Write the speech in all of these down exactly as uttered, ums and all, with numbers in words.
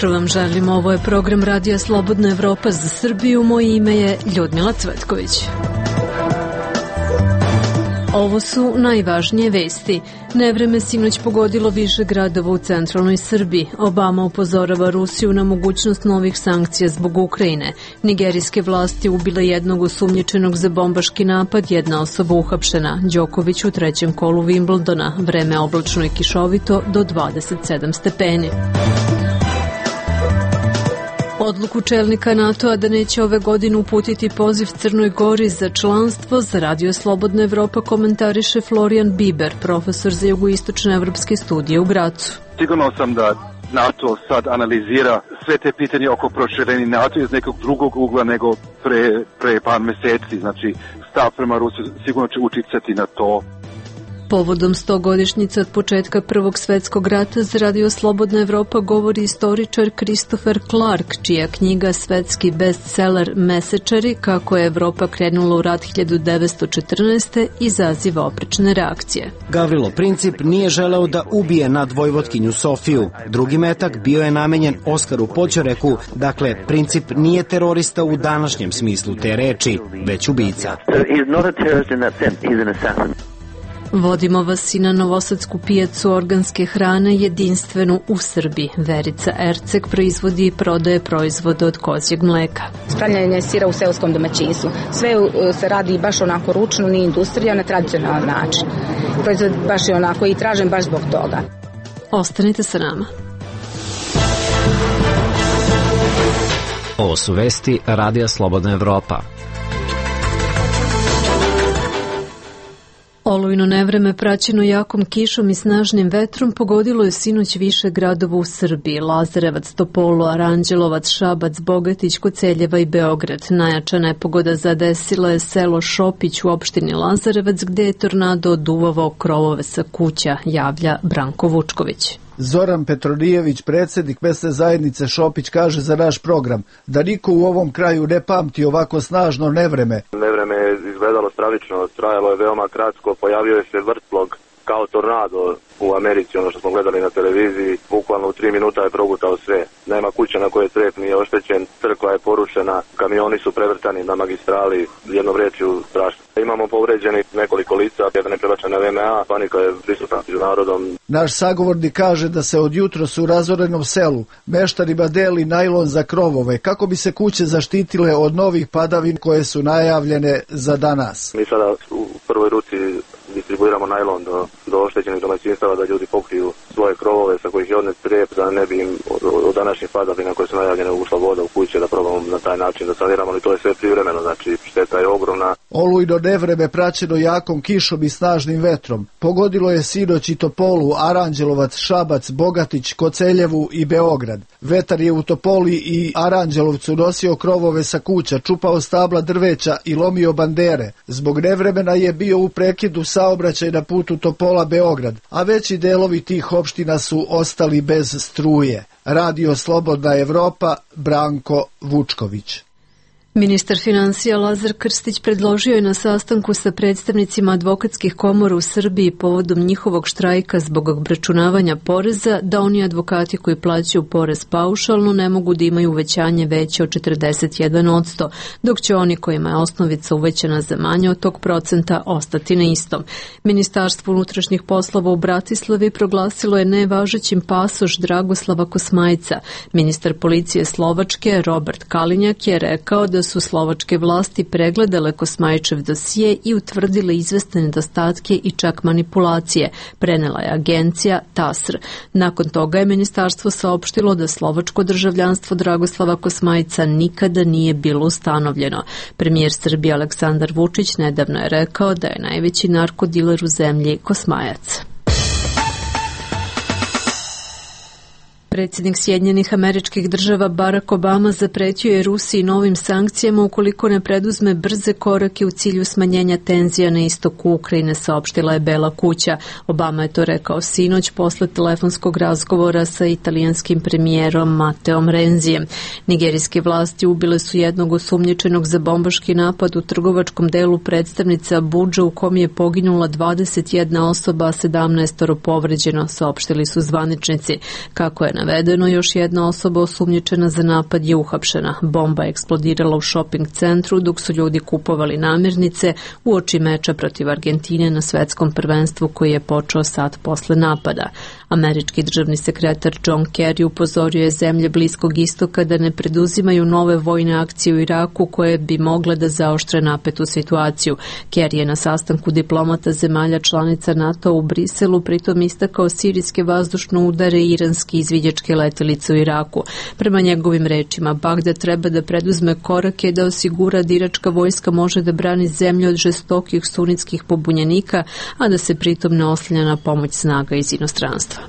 jutro vam želim, ovo je program Radija Slobodna Evropa za Srbiju, moje ime je Ljudmila Cvetković. Ovo su najvažnije vesti. Nevreme sinoć pogodilo više gradova u centralnoj Srbiji. Obama upozorava Rusiju na mogućnost novih sankcija zbog Ukrajine. Nigerijske vlasti ubile jednog osumnjičenog za bombaški napad, jedna osoba uhapšena. Đoković u trećem kolu Wimbledona. Vreme oblačno i kišovito do dvadeset sedam stepeni. Odluku čelnika NATO-a da neće ove godine uputiti poziv Crnoj Gori za članstvo za Radio Slobodna Evropa komentariše Florian Biber, profesor za jugoistočne evropske studije u Gracu. Sigurno sam da NATO sad analizira sve te pitanje oko proširenja NATO iz nekog drugog ugla nego pre, pre par meseci. Znači, stav prema Rusiji sigurno će uticati na to. Povodom stogodišnjice od početka Prvog svetskog rata za Radio Slobodna Evropa govori istoričar Christopher Clark, čija knjiga svetski bestseller Mesečari, kako je Evropa krenula u rat hiljadu devetsto četrnaeste. izaziva oprečne reakcije. Gavrilo Princip nije želeo da ubije nadvojvotkinju Sofiju. Drugi metak bio je namenjen Oskaru Poćoreku, dakle Princip nije terorista u današnjem smislu te reči, već ubica. Vodimo vas i na novosadsku pijacu organske hrane jedinstvenu u Srbiji. Verica Erceg proizvodi i prodaje proizvode od kozjeg mleka. Pravljanje sira u seoskom domaćinstvu. Sve se radi baš onako ručno, nije industrija, na tradicionalan način. Proizvod baš je onako i tražen baš zbog toga. Ostanite sa nama. Ovo su vesti Radija Slobodna Evropa. Olujno nevreme praćeno jakom kišom i snažnim vetrom pogodilo je sinoć više gradova u Srbiji: Lazarevac, Topolu, Aranđelovac, Šabac, Bogatić, Koceljeva i Beograd. Najjača nepogoda zadesila je selo Šopić u opštini Lazarevac, gde je tornado oduvavao krovove sa kuća, javlja Branko Vučković. Zoran Petronijević, predsjednik mesne zajednice Šopić, kaže za naš program da niko u ovom kraju ne pamti ovako snažno nevreme. Nevreme je izgledalo stravično, trajalo je veoma kratko, pojavio je se vrtlog kao tornado u Americi, ono što smo gledali na televiziji, bukvalno u tri minuta je progutao sve. Nema kuća na kojoj crep nije oštećen, crkva je porušena, kamioni su prevrtani na magistrali, jednom rečju strašno. Imamo povređeni nekoliko lica, jedan je prebačen na V M A, panika je prisutna među narodom. Naš sagovornik kaže da se od jutros u razorenom selu meštanima deli najlon za krovove, kako bi se kuće zaštitile od novih padavin koje su najavljene za danas. Mi sada u prvoj ruci distribuiramo najlon do, do oštećenih domaćinstava da ljudi pokriju svoje krovove sa kojih je odnet crep, da ne bi im od, od današnjih padavina koje su najavljene ušla voda u kuće, da probamo na taj način da saniramo, ali to je sve privremeno, znači šteta je ogromna. Olujno nevreme praćeno jakom kišom i snažnim vetrom pogodilo je sinoć i Topolu, Aranđelovac, Šabac, Bogatić, Koceljevu i Beograd. Vetar je u Topoli i Aranđelovcu nosio krovove sa kuća, čupao stabla drveća i lomio bandere. Zbog nevremena je bio u prekidu saobraćaj na putu Topola-Beograd, a veći delovi tih opština su ostali bez struje. Radio Slobodna Evropa, Branko Vučković. Ministar finansija Lazar Krstić predložio je na sastanku sa predstavnicima advokatskih komora u Srbiji povodom njihovog štrajka zbog obračunavanja poreza da oni advokati koji plaćaju porez paušalno ne mogu da imaju uvećanje veće od četrdeset jedan posto, dok će oni kojima je osnovica uvećana za manje od tog procenta ostati na istom. Ministarstvo unutrašnjih poslova u Bratislavi proglasilo je nevažećim pasoš Dragoslava Kosmajca. Ministar policije Slovačke Robert Kalinjak je rekao da su slovačke vlasti pregledale Kosmajčev dosije i utvrdile izvesne nedostatke i čak manipulacije, prenela je agencija T A S R. Nakon toga je ministarstvo saopštilo da slovačko državljanstvo Dragoslava Kosmajca nikada nije bilo ustanovljeno. Premijer Srbije Aleksandar Vučić nedavno je rekao da je najveći narkodiler u zemlji Kosmajac. Predsjednik Sjedinjenih Američkih Država Barack Obama zapretio je Rusiji novim sankcijama ukoliko ne preduzme brze korake u cilju smanjenja tenzija na istoku Ukrajine, saopštila je Bela kuća. Obama je to rekao sinoć posle telefonskog razgovora sa italijanskim premijerom Mateom Renzijem. Nigerijske vlasti ubile su jednog osumnjičenog za bombaški napad u trgovačkom delu predstavnice Abudža u kom je poginula dvadeset jedna osoba, a sedamnaest povređeno, saopštili su zvaničnici. Kako je na navedeno, još jedna osoba osumnjičena za napad je uhapšena. Bomba je eksplodirala u šoping centru dok su ljudi kupovali namirnice uoči meča protiv Argentine na svetskom prvenstvu koji je počeo sat posle napada. Američki državni sekretar John Kerry upozorio je zemlje Bliskog istoka da ne preduzimaju nove vojne akcije u Iraku koje bi mogle da zaoštre napetu situaciju. Kerry je na sastanku diplomata zemalja članica NATO u Briselu pritom istakao sirijske vazdušne udare i iranske izviđačke letelice u Iraku. Prema njegovim rečima, Bagdad treba da preduzme korake da osigura da iračka vojska može da brani zemlju od žestokih sunitskih pobunjenika, a da se pritom ne oslanja na pomoć snaga iz inostranstva.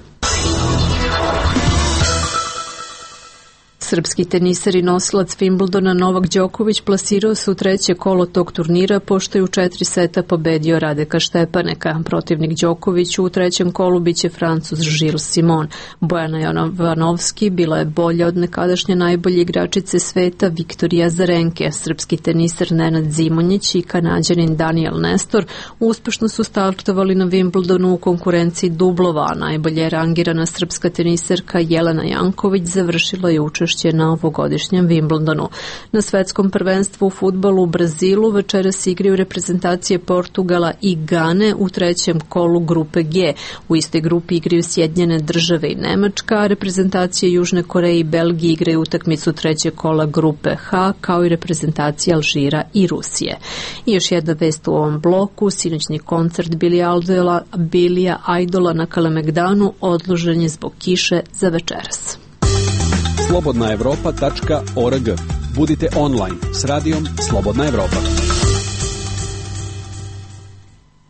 Srpski teniser i nosilac Wimbledona Novak Đoković plasirao se u treće kolo tog turnira pošto je u četiri seta pobedio Radeka Štepaneka. Protivnik Đokoviću u trećem kolu biće Francuz Gilles Simon. Bojana Jovanovski bila je bolja od nekadašnje najbolje igračice sveta Viktorija Azarenke. Srpski teniser Nenad Zimonjić i Kanađanin Daniel Nestor uspešno su startovali na Wimbledonu u konkurenciji dublova, a najbolje je rangirana srpska teniserka Jelena Janković završila je učešće na ovogodišnjem Wimbledonu. Na svetskom prvenstvu u fudbalu u Brazilu večeras igraju reprezentacije Portugala i Gane u trećem kolu grupe G. U istoj grupi igraju Sjedinjene države i Nemačka, a reprezentacije Južne Koreje i Belgije igraju utakmicu trećeg kola grupe H, kao i reprezentacije Alžira i Rusije. I još jedna vest u ovom bloku, sinoćni koncert Bilija Idola na Kalemegdanu odložen je zbog kiše za večeras. slobodna evropa tačka org. Budite online s radijom Slobodna Evropa.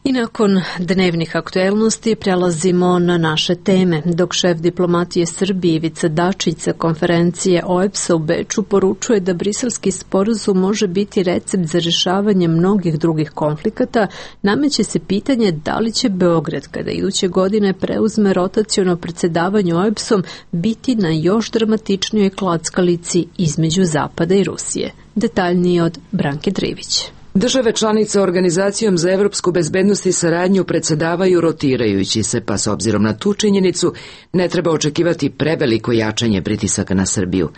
I nakon dnevnih aktuelnosti prelazimo na naše teme. Dok šef diplomatije Srbije Ivica Dačić sa konferencije O E B S-a u Beču poručuje da briselski sporazum može biti recept za rješavanje mnogih drugih konflikata, nameće se pitanje da li će Beograd, kada iduće godine preuzme rotaciono predsjedavanje O E B S-om, biti na još dramatičnijoj klackalici između Zapada i Rusije. Detaljnije od Branke Trivić. Države članice Organizacijom za evropsku bezbednost i saradnju predsjedavaju rotirajući se, pa s obzirom na tu činjenicu ne treba očekivati preveliko jačanje pritisaka na Srbiju.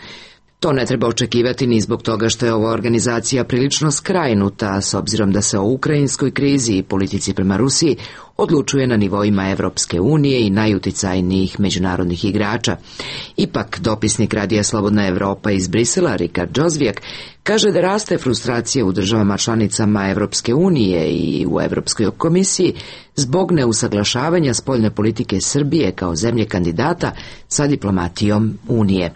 To ne treba očekivati ni zbog toga što je ova organizacija prilično skrajnuta, s obzirom da se o ukrajinskoj krizi i politici prema Rusiji odlučuje na nivoima Evropske unije i najuticajnijih međunarodnih igrača. Ipak, dopisnik Radija Slobodna Evropa iz Brisela, Rikard Džozvijak, kaže da raste frustracija u državama članicama Evropske unije i u Evropskoj komisiji zbog neusaglašavanja spoljne politike Srbije kao zemlje kandidata sa diplomatijom Unije.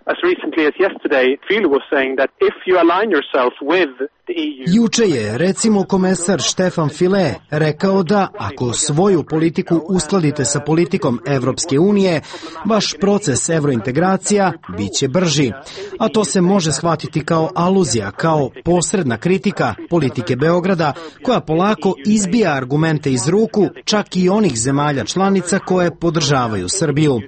Juče je, recimo, komesar Štefan File rekao da ako svoju politiku uskladite sa politikom Evropske unije, vaš proces evrointegracija bit će brži. A to se može shvatiti kao aluzija, kao posredna kritika politike Beograda, koja polako izbija argumente iz ruku čak i onih zemalja članica koje podržavaju Srbiju.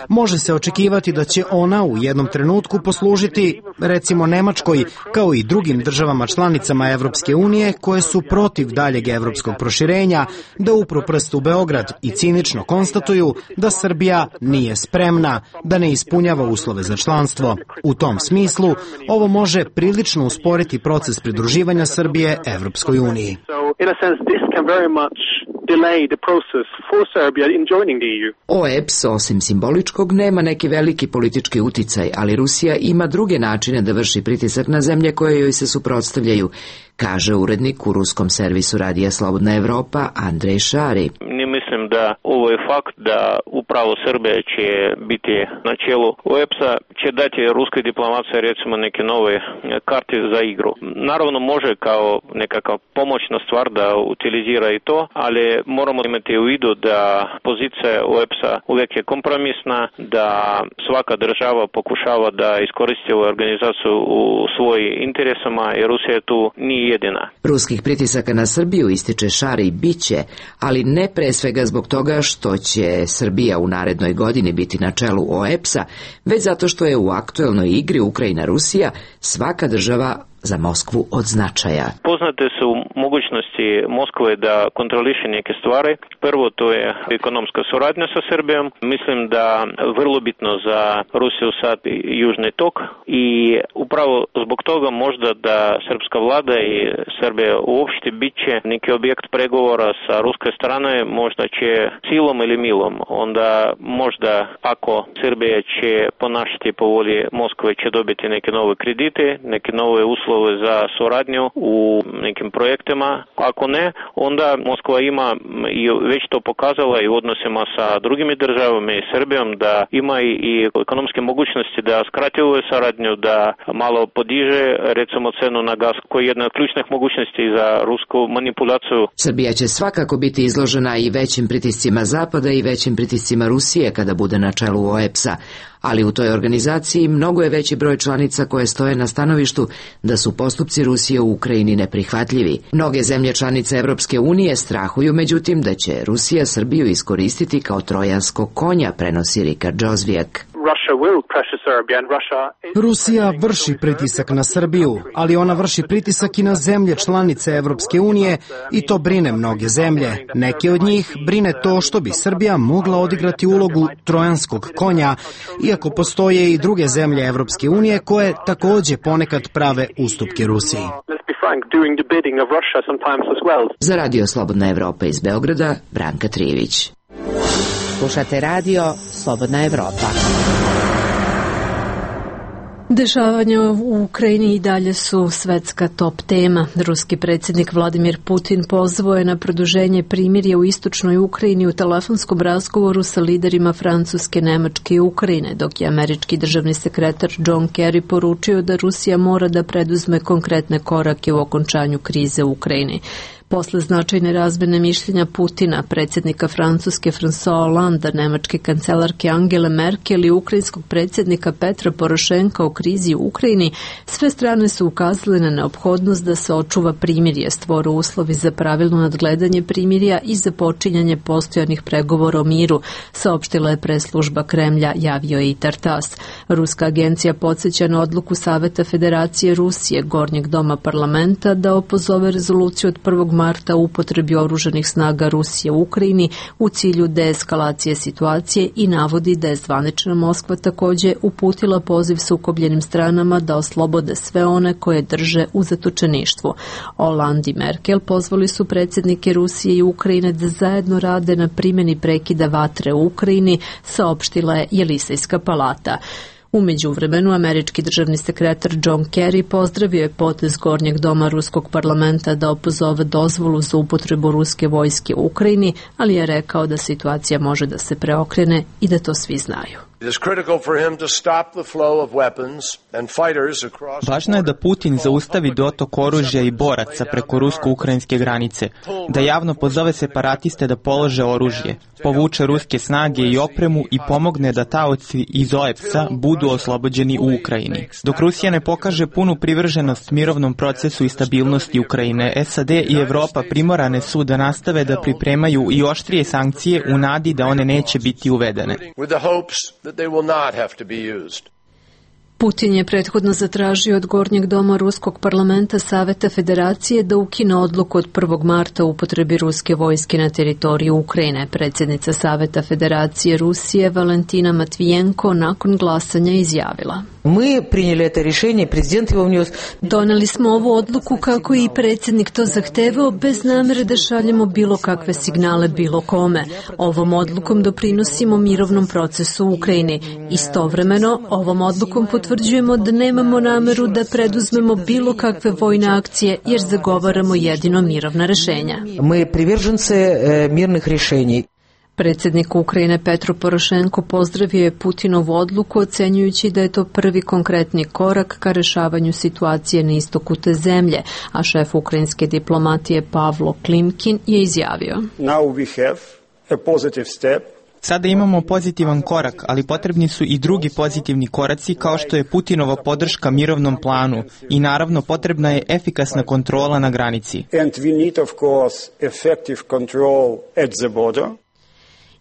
Može se očekivati da će ona u jednom trenutku poslužiti, recimo Nemačkoj, kao i drugim državama članicama Evropske unije koje su protiv daljeg evropskog proširenja, da upru prst u Beograd i cinično konstatuju da Srbija nije spremna, da ne ispunjava uslove za članstvo. U tom smislu, ovo može prilično usporiti proces pridruživanja Srbije Evropskoj uniji. O E B S, osim simboličkog, nema neki veliki politički uticaj, ali Rusija ima druge načine da vrši pritisak na zemlje koje joj se suprotstavljaju, kaže urednik u ruskom servisu Radija Slobodna Evropa Andrej Šari. Ne mislim da ovo je fakt da upravo Srbija će biti na čelu O E B S-a, će dati ruskoj diplomaciji recimo neke nove karte za igru. Naravno može kao nekakav pomoćna stvar da utilizira i to, ali moramo imati u vidu da pozicija O E B S-a uvijek je kompromisna, da svaka država pokušava da iskoristi ovu organizaciju u svojim interesama i Rusija tu nije jedina. Ruskih pritisaka na Srbiju, ističe Šari, biće, ali ne pre svega zbog toga što će Srbija u narednoj godini biti na čelu O E B S-a, već zato što je u aktuelnoj igri Ukrajina-Rusija svaka država za Moskvu od značaja. Poznate su mogućnosti Moskve da kontroliše neke stvari. Prvo, to je ekonomska suradnja sa Srbijom. Mislim da vrlo bitno za Rusiju sad južni tok i upravo zbog toga možda da srpska vlada i Srbija uopšte bit će neki objekt pregovora sa ruske strane, možda će silom ili milom. Onda možda ako Srbija će ponašati po volji Moskve, će dobiti neke nove kredite, neke nove uslove za suradnju u nekim projektima. Ako ne, onda Moskva ima i već to pokazala i u odnosima sa drugimi državama i Srbijom da ima i ekonomske mogućnosti da skrati ovu saradnju, da malo podiže recimo cenu na gas, koji je jedna od ključnih mogućnosti za rusku manipulaciju. Srbija će svakako biti izložena i većim pritiscima Zapada i većim pritiscima Rusije kada bude na čelu O E P S-a, ali u toj organizaciji mnogo je veći broj članica koje stoje na stanovištu da su postupci Rusije u Ukrajini neprihvatljivi. Mnoge zemlje članice Evropske unije strahuju međutim da će Rusija Srbiju iskoristiti kao trojanskog konja, prenosi Rika Džozvijak. Rusija vrši pritisak na Srbiju, ali ona vrši pritisak i na zemlje članice Evropske unije i to brine mnoge zemlje. Neke od njih brine to što bi Srbija mogla odigrati ulogu trojanskog konja, iako postoje i druge zemlje Evropske unije koje takođe ponekad prave ustupke Rusiji. Za Radio Slobodna Evropa iz Beograda, Branka Trivić. Slušate radio Slobodna Evropa. Dešavanja u Ukrajini i dalje su svetska top tema. Ruski predsjednik Vladimir Putin pozvao je na produženje primirja u istočnoj Ukrajini u telefonskom razgovoru sa liderima Francuske, Nemačke i Ukrajine, dok je američki državni sekretar John Kerry poručio da Rusija mora da preduzme konkretne korake u okončanju krize u Ukrajini. Posle značajne razmene mišljenja Putina, predsjednika Francuske François Hollande, nemačke kancelarke Angele Merkel i ukrajinskog predsjednika Petra Porošenka o krizi u Ukrajini, sve strane su ukazale na neophodnost da se očuva primirje, stvore uslovi za pravilno nadgledanje primirja i za počinjanje postojanih pregovora o miru, saopštila je preslužba Kremlja, javio je i Tartas. Ruska agencija podsjeća na odluku Saveta Federacije Rusije, Gornjeg doma parlamenta, da opozove rezoluciju od prvog marta u upotrebi oružanih snaga Rusije u Ukrajini u cilju deeskalacije situacije i navodi da je zvanična Moskva takođe uputila poziv sukobljenim stranama da oslobode sve one koje drže u zatočeništvu. Hollande i Merkel pozvali su predsjednike Rusije i Ukrajine da zajedno rade na primjeni prekida vatre u Ukrajini, saopštila je Jelisejska palata. U međuvremenu, američki državni sekretar John Kerry pozdravio je potez Gornjeg doma ruskog parlamenta da opozove dozvolu za upotrebu ruske vojske u Ukrajini, ali je rekao da situacija može da se preokrene i da to svi znaju. Važno je da Putin zaustavi dotok oružja i boraca preko rusko-ukrajinske granice, da javno pozove separatiste da polože oružje, povuče ruske snage i opremu i pomogne da taoci iz O E P S-a budu oslobođeni u Ukrajini. Dok Rusija ne pokaže punu privrženost mirovnom procesu i stabilnosti Ukrajine, S A D i Evropa primorane su da nastave da pripremaju i oštrije sankcije u nadi da one neće biti uvedene. Putin je prethodno zatražio od Gornjeg doma ruskog parlamenta Saveta Federacije da ukine odluku od prvog marta o upotrebi ruske vojske na teritoriju Ukrajine. Predsjednica Saveta Federacije Rusije Valentina Matvijenko nakon glasanja izjavila: Doneli smo ovu odluku kako i predsjednik to zahtevao, bez namere da šaljemo bilo kakve signale bilo kome. Ovom odlukom doprinosimo mirovnom procesu u Ukrajini. Istovremeno, ovom odlukom potvrđujemo da nemamo nameru da preduzmemo bilo kakve vojne akcije, jer zagovaramo jedino mirovna rešenja. Mi privržence mirnih rešenja. Predsjednik Ukrajine Petro Porošenko pozdravio je Putinovu odluku, ocenjujući da je to prvi konkretni korak ka rešavanju situacije na istoku te zemlje, a šef ukrajinske diplomatije Pavlo Klimkin je izjavio: Now we have a positive step. Sada imamo pozitivan korak, ali potrebni su i drugi pozitivni koraci kao što je Putinova podrška mirovnom planu i naravno potrebna je efikasna kontrola na granici. And we need of course effective control at the border.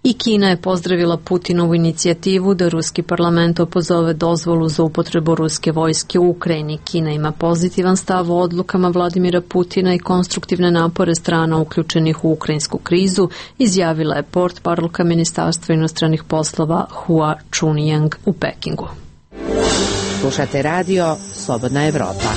I Kina je pozdravila Putinovu inicijativu da ruski parlament opozove dozvolu za upotrebu ruske vojske u Ukrajini. Kina ima pozitivan stav o odlukama Vladimira Putina i konstruktivne napore strana uključenih u ukrajinsku krizu, izjavila je portparolka Ministarstva inostranih poslova Hua Chunying u Pekingu. Slušate radio Slobodna Evropa.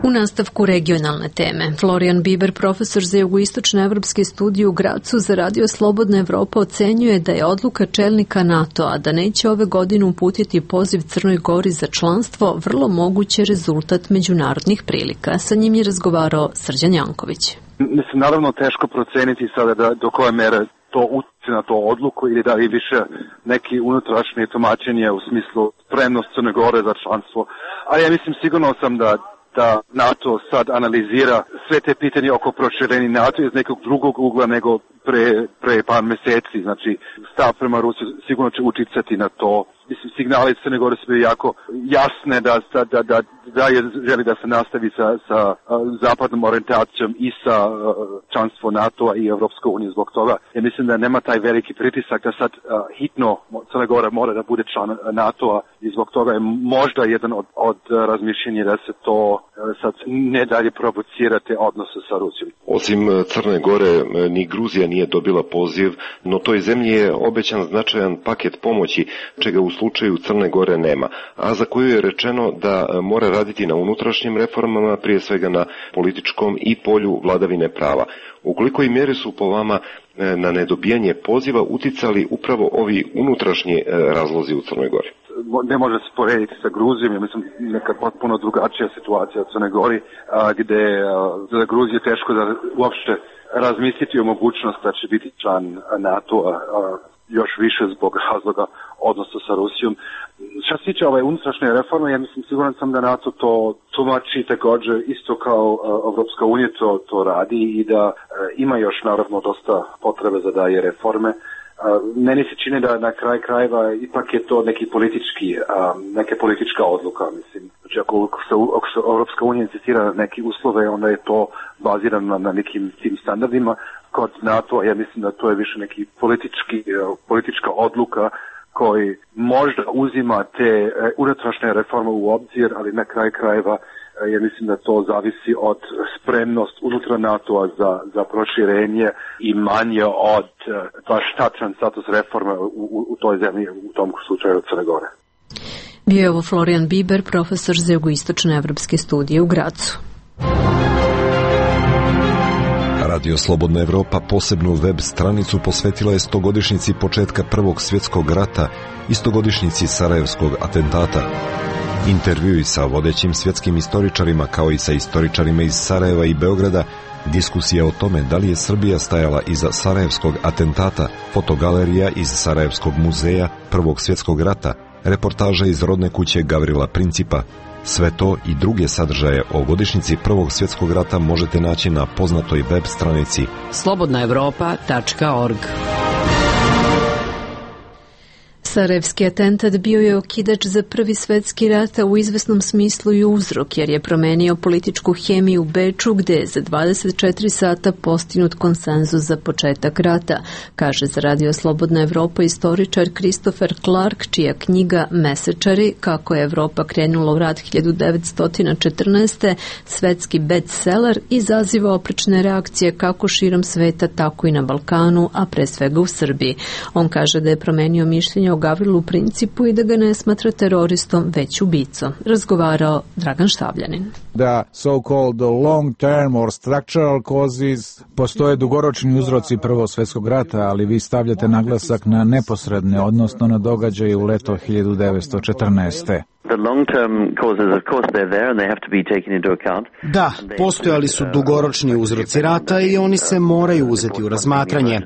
U nastavku regionalne teme, Florian Biber, profesor za jugoistočne evropske studije u Gracu za radio Slobodna Evropa, ocenjuje da je odluka čelnika NATO-a da neće ove godine uputiti poziv Crnoj Gori za članstvo vrlo moguće rezultat međunarodnih prilika. Sa njim je razgovarao Srđan Janković. Mislim, naravno teško proceniti sada da, do koje mere to utječe na to odluku ili da li više neki unutrašnje tumačenje u smislu spremnost Crne Gore za članstvo. Ali ja mislim, sigurno sam da da NATO sad analizira sve te pitanje oko proširenja NATO iz nekog drugog ugla nego pre, pre par meseci. Znači, stav prema Rusiji sigurno će uticati na to. Mislim, signali Crne Gore su bili jako jasne da, da, da, da je želi da se nastavi sa, sa zapadnom orijentacijom i sa članstvo NATO-a i Evropske unije zbog toga. Ja mislim da nema taj veliki pritisak da sad hitno Crna Gora mora da bude član NATO-a i zbog toga je možda jedan od, od razmišljenja da se to sad ne dalje provocira te odnose sa Rusijom. Osim Crne Gore, ni Gruzija nije dobila poziv, no toj zemlji je obećan značajan paket pomoći, čega u slučaju Crne Gore nema, a za koju je rečeno da mora raditi na unutrašnjim reformama, prije svega na političkom i polju vladavine prava. U kolikoj mjeri su po vama na nedobijanje poziva uticali upravo ovi unutrašnji razlozi u Crnoj Gori? Ne može se porediti sa Gruzijom, ja mislim neka potpuno drugačija situacija u Crnoj Gori, a, gde a, za Gruziju je teško da uopšte razmisliti o mogućnosti da će biti član NATO-a, a, još više zbog razloga odnosa sa Rusijom. Što se tiče ove unutrašnje reforme, ja mislim, siguran sam da NATO to tumači također isto kao Evropska unija to, to radi i da e, ima još naravno dosta potrebe za daje reforme. Meni se čini da na kraj krajeva ipak je to neki politički, neka politička odluka, mislim. Znači ako se, ako se Evropska unija insistira na neki uslove, onda je to bazirano na nekim tim standardima. Kod NATO, ja mislim da to je više neki politički, politička odluka koji možda uzima te unutrašnje reforme u obzir, ali na kraj krajeva ja mislim da to zavisi od spremnost unutra NATO-a za, za proširenje i manje od baš tačan status reforme u, u, u toj zemlji, u tom slučaju Crne Gore. Bio je ovo Florian Biber, profesor za jugoistočne evropske studije u Gracu. Radio Slobodna Evropa posebnu web stranicu posvetila je stogodišnjici početka Prvog svjetskog rata i stogodišnjici Sarajevskog atentata. Intervjui sa vodećim svjetskim istoričarima kao i sa istoričarima iz Sarajeva i Beograda, diskusija o tome da li je Srbija stajala iza Sarajevskog atentata, fotogalerija iz Sarajevskog muzeja Prvog svjetskog rata, reportaža iz rodne kuće Gavrila Principa. Sve to i druge sadržaje o godišnjici Prvog svjetskog rata možete naći na poznatoj web stranici slobodna evropa tačka org. Sarajevski atentat bio je okidač za Prvi svjetski rat, a u izvesnom smislu i uzrok, jer je promenio političku hemiju u Beču, gde je za dvadeset četiri sata postignut konsenzus za početak rata, kaže za Radio Slobodna Evropa istoričar Christopher Clark, čija knjiga Mesečari, kako je Evropa krenula u rat hiljadu devetsto četrnaeste. svetski bestseller, izaziva oprečne reakcije kako širom sveta, tako i na Balkanu, a pre svega u Srbiji. On kaže da je promenio mišljenje o Gavrilu Principu i da ga ne smatra teroristom, već ubicom. Razgovarao Dragan Štavljanin. Da so-called long-term or structural causes postoje dugoročni uzroci Prvog svjetskog rata, ali vi stavljate naglasak na neposredne, odnosno na događaje u leto hiljadu devetsto četrnaeste. Da, postojali su dugoročni uzroci rata i oni se moraju uzeti u razmatranje.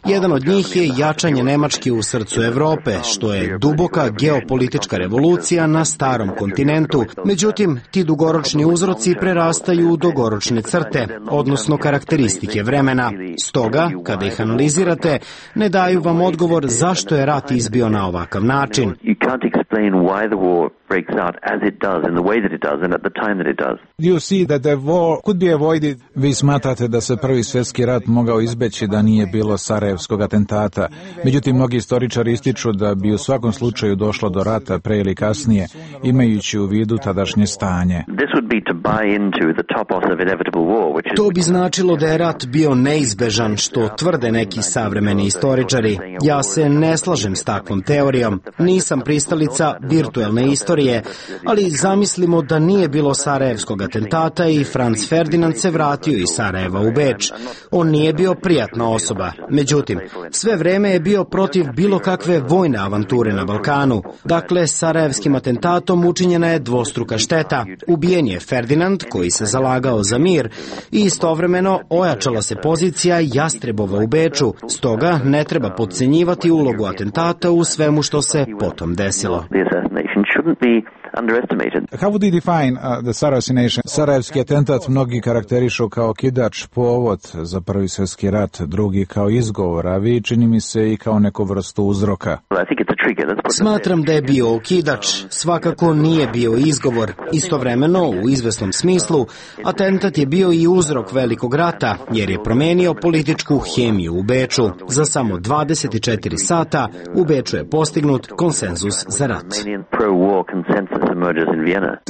Jedan od njih je jačanje Nemačke u srcu Evrope, što je duboka geopolitička revolucija na starom kontinentu. Međutim, ti dugoročni uzroci prerastaju u dugoročne crte, odnosno karakteristike vremena. Stoga, kada ih analizirate, ne daju vam odgovor zašto je rat izbio na ovakav način. breaks out as it does, in the way that it does, and at the time that it does. You see that the war could be avoided. Vi smatrate da se prvi svjetski rat mogao izbeći da nije bilo Sarajevskog atentata. Međutim, mnogi istoričari ističu da bi u svakom slučaju došlo do rata pre ili kasnije, imajući u vidu tadašnje stanje. This would be to buy into the topos of inevitable war, which is... To bi značilo da je rat bio neizbežan, što tvrde neki savremeni istoričari. Ja se ne slažem s takvom teorijom. Nisam pristalica virtuelne istorije, ali zamislimo da nije bilo Sarajevskog atentata i Franz Ferdinand se vratio iz Sarajeva u Beč. On nije bio prijatna osoba. Međutim, sve vreme je bio protiv bilo kakve vojne avanture na Balkanu. Dakle, Sarajevskim atentatom učinjena je dvostruka šteta. Ubijen je Ferdinand, koji se zalagao za mir, i istovremeno ojačala se pozicija Jastrebova u Beču. Stoga ne treba podcenjivati ulogu atentata u svemu što se potom desilo. How would you define uh, the Sarajevo assassination? Sarajevski atentat mnogi karakterišu kao kidač, povod za prvi svjetski rat, drugi kao izgovor, a vi čini mi se i kao neku vrstu uzroka. Smatram da je bio okidač, svakako nije bio izgovor. Istovremeno, u izvesnom smislu, atentat je bio i uzrok velikog rata, jer je promenio političku hemiju u Beču. Za samo dvadeset četiri sata u Beču je postignut konsenzus za rat.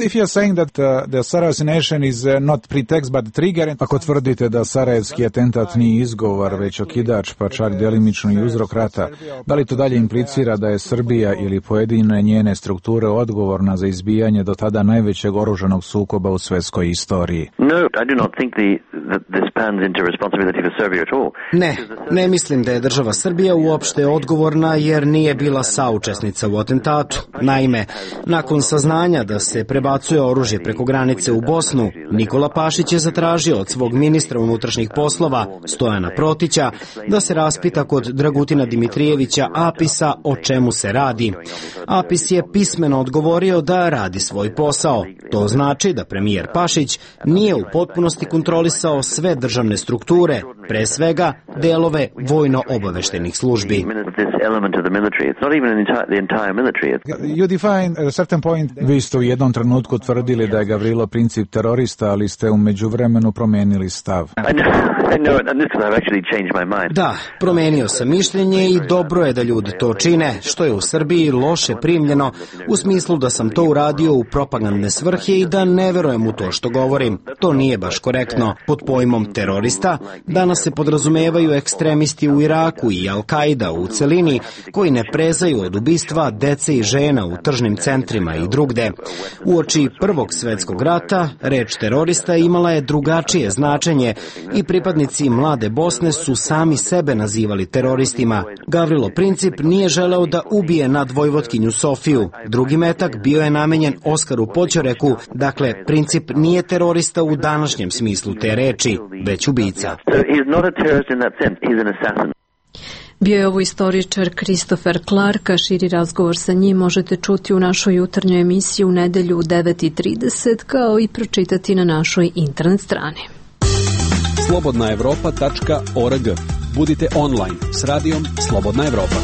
If you are saying that uh, the Sarajevo assassination is uh, not pretext but trigger, ako tvrdite da Sarajevski atentat nije izgovor, već okidač, pa čak delimično i uzrok rata, da li to dalje implicira da je Srbija ili pojedine njene strukture odgovorna za izbijanje do tada najvećeg oružanog sukoba u svjetskoj istoriji? No, I do not think the, that this pans into responsibility for Serbia at all. Ne, ne mislim da je država Srbija uopšte odgovorna jer nije bila saučesnica u atentatu. Naime, nakon saznanja da se prebacuje oružje preko granice u Bosnu, Nikola Pašić je zatražio od svog ministra unutrašnjih poslova, Stojana Protića, da se raspita kod Dragutina Dimitrijevića Apisa o čemu se radi. Apis je pismeno odgovorio da radi svoj posao. To znači da premijer Pašić nije u potpunosti kontrolisao sve državne strukture, pre svega delove vojno-obaveštenih službi. You define a certain point. Vi ste u jednom trenutku tvrdili da je Gavrilo Princip terorista, ali ste u međuvremenu promenili stav. Da, promenio sam mišljenje i dobro je da ljudi to čine, što je u Srbiji loše primljeno, u smislu da sam to uradio u propagandne svrhe i da ne verujem u to što govorim. To nije baš korektno. Pod pojmom terorista danas se podrazumevaju ekstremisti u Iraku i Al-Kaida u celini, koji ne prezaju od ubistva dece i žena u tržnim centrima i drugde. Uoči Prvog svjetskog rata, reč terorista imala je drugačije značenje i pripadnici Mlade Bosne su sami sebe nazivali teroristima. Gavrilo Princip nije želeo da ubije nadvojvotkinju Sofiju. Drugi metak bio je namenjen Oskaru Poćoreku, dakle Princip nije terorista u današnjem smislu te reči, već ubica. Bio je ovo istoričar Christopher Clark, a širi razgovor sa njim možete čuti u našoj jutarnjoj emisiji u nedelju u devet i trideset, kao i pročitati na našoj internet strani. slobodna evropa tačka org. Budite online s radijom Slobodna Evropa.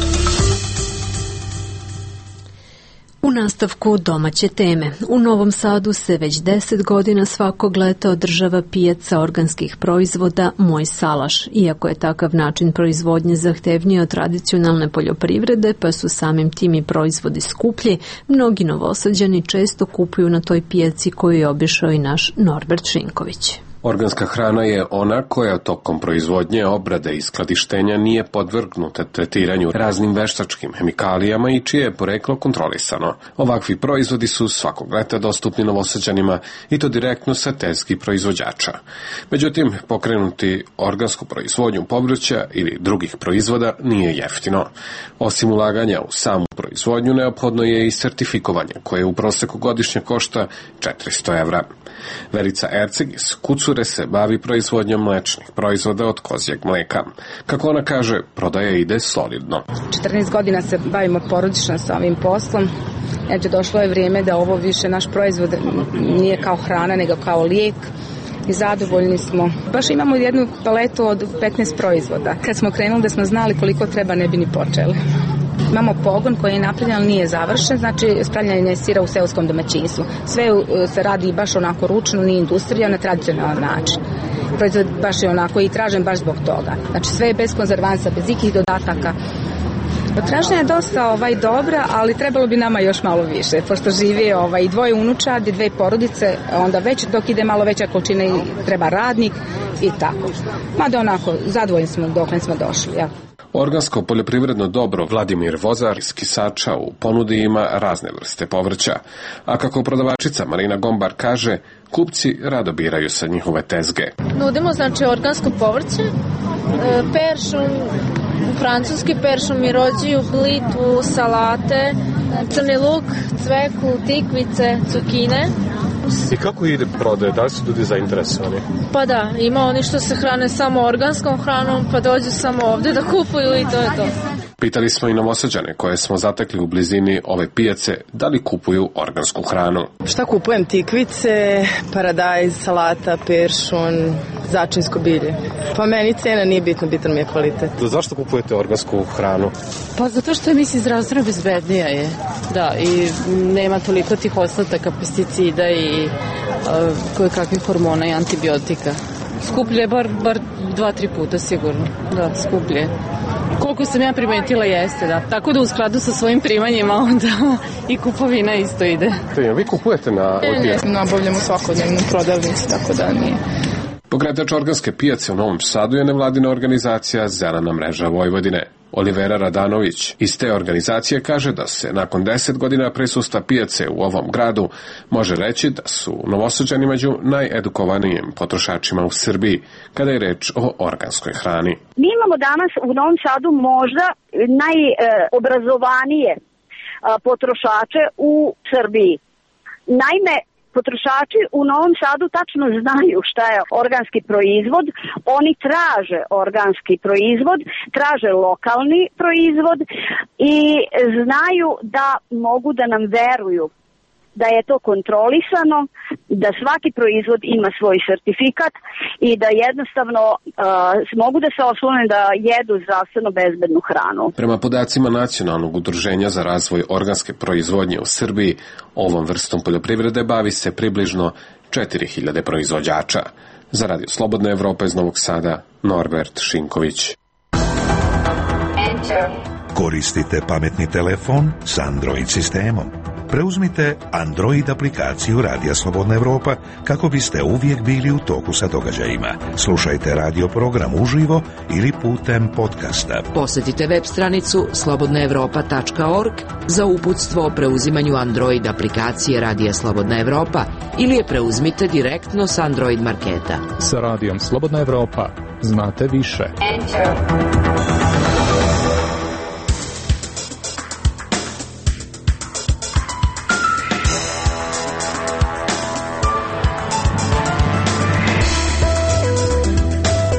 U nastavku domaće teme. U Novom Sadu se već deset godina svakog leta održava pijaca organskih proizvoda Moj salaš. Iako je takav način proizvodnje zahtevniji od tradicionalne poljoprivrede, pa su samim tim i proizvodi skuplji, mnogi Novosađani često kupuju na toj pijaci koju je obišao i naš Norbert Šinković. Organska hrana je ona koja tokom proizvodnje, obrade i skladištenja nije podvrgnuta tretiranju raznim veštačkim hemikalijama i čije je poreklo kontrolisano. Ovakvi proizvodi su svakog leta dostupni Novosađanima i to direktno sa tezgi proizvođača. Međutim, pokrenuti organsku proizvodnju povrća ili drugih proizvoda nije jeftino. Osim ulaganja u samu proizvodnju, neophodno je i sertifikovanje koje u proseku godišnje košta četiristo evra. Verica Erceg iz Kucure se bavi proizvodnjom mlečnih proizvoda od kozjeg mleka. Kako ona kaže, prodaja ide solidno. četrnaest godina se bavimo porodično sa ovim poslom. Eto, došlo je vrijeme da ovo više naš proizvod nije kao hrana, nego kao lijek. I zadovoljni smo. Baš imamo jednu paletu od petnaest proizvoda. Kad smo krenuli da smo znali koliko treba, ne bi ni počeli. Imamo pogon koji je napravljen, ali nije završen, znači spravljanje sira u seoskom domaćinstvu. Sve se radi baš onako ručno, nije industrija, na tradicionalan način. Proizvod baš je onako i tražen baš zbog toga. Znači sve je bez konzervansa, bez ikih dodataka. Potražnja je dosta ovaj, dobra, ali trebalo bi nama još malo više, pošto živi ovaj, dvoje unučadi, dve porodice, onda već dok ide malo veća količina treba radnik i tako. Mada onako, zadovoljni smo dok smo došli. Ja. Organsko poljoprivredno dobro Vladimir Vozar iz Kisača u ponudi ima razne vrste povrća, a kako prodavačica Marina Gombar kaže, kupci rado biraju sa njihove tezge. Nudimo znači organsko povrće, peršun, francuski peršun, mirođiju, blitvu, salate, crni luk, cveku, tikvice, cukine. I kako ide prodaje? Da li su ljudi zainteresovani? Pa da, ima oni što se hrane samo organskom hranom, pa dođu samo ovde da kupuju i to je to. Pitali smo i Novosađane koje smo zatekli u blizini ove pijace da li kupuju organsku hranu. Šta kupujem? Tikvice, paradajz, salata, peršun, začinsko bilje. Pa meni cena nije bitna, bitan mi je kvalitet. Zašto kupujete organsku hranu? Pa zato što je, mislim, zdravstveno bezbednija je. Da, i nema toliko tih ostataka pesticida i uh, koje kakvih hormona i antibiotika. Skuplje bar, bar dva, tri puta sigurno. Da, skuplje. Koliko sam ja primetila jeste, da. Tako da u skladu sa svojim primanjima onda i kupovina isto ide. Vi kupujete na... Ne, ne, nabavljamo svakodnevno prodavnici, tako da nije. Pokretač organske pijace u Novom Sadu je nevladina organizacija Zelena mreža Vojvodine. Olivera Radanović iz te organizacije kaže da se nakon deset godina prisustva pijace u ovom gradu može reći da su Novosađani među najedukovanijim potrošačima u Srbiji kada je reč o organskoj hrani. Mi imamo danas u Novom Sadu možda najobrazovanije potrošače u Srbiji. Naime, potrošači u Novom Sadu tačno znaju šta je organski proizvod, oni traže organski proizvod, traže lokalni proizvod i znaju da mogu da nam veruju da je to kontrolisano, da svaki proizvod ima svoj sertifikat i da jednostavno uh, mogu da se oslone da jedu zdravstveno bezbednu hranu. Prema podacima Nacionalnog udruženja za razvoj organske proizvodnje u Srbiji, ovom vrstom poljoprivrede bavi se približno četiri hiljade proizvođača. Za Radio Slobodna Evropa iz Novog Sada, Norbert Šinković. Koristite pametni telefon s Android sistemom. Preuzmite Android aplikaciju Radija Slobodna Evropa kako biste uvijek bili u toku sa događajima. Slušajte radio program uživo ili putem podcasta. Posjetite web stranicu slobodna evropa tačka org za uputstvo o preuzimanju Android aplikacije Radija Slobodna Evropa ili je preuzmite direktno s Android marketa. Sa Radijom Slobodna Evropa znate više. Enter.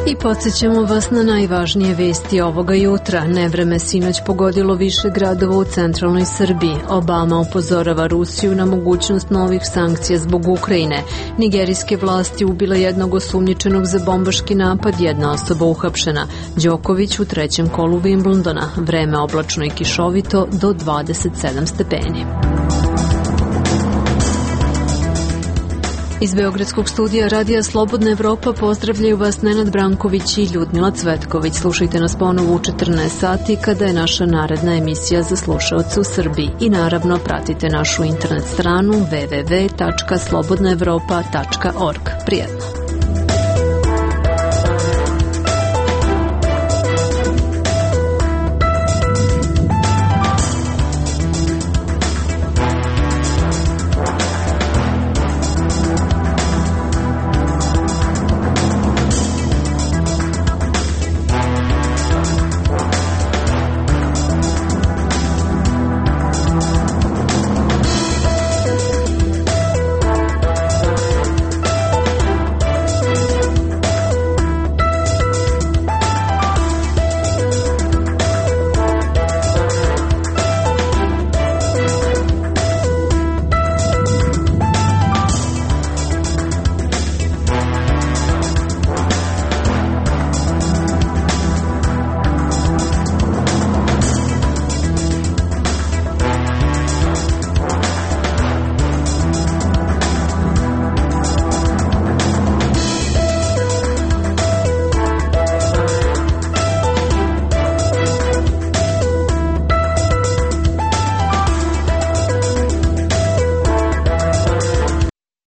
I podsjećamo vas na najvažnije vesti ovoga jutra. Nevreme sinoć pogodilo više gradova u centralnoj Srbiji. Obama upozorava Rusiju na mogućnost novih sankcija zbog Ukrajine. Nigerijske vlasti ubile jednog osumnjičenog za bombaški napad, jedna osoba uhapšena. Đoković u trećem kolu Wimbledona. Vreme oblačno i kišovito do dvadeset sedam stepeni. Iz Beogradskog studija Radija Slobodna Evropa pozdravljaju vas Nenad Branković i Ljudmila Cvetković. Slušajte nas ponovo u četrnaest sati kada je naša naredna emisija za slušaoce u Srbiji. I naravno pratite našu internet stranu w w w tačka slobodna evropa tačka org. Prijetno!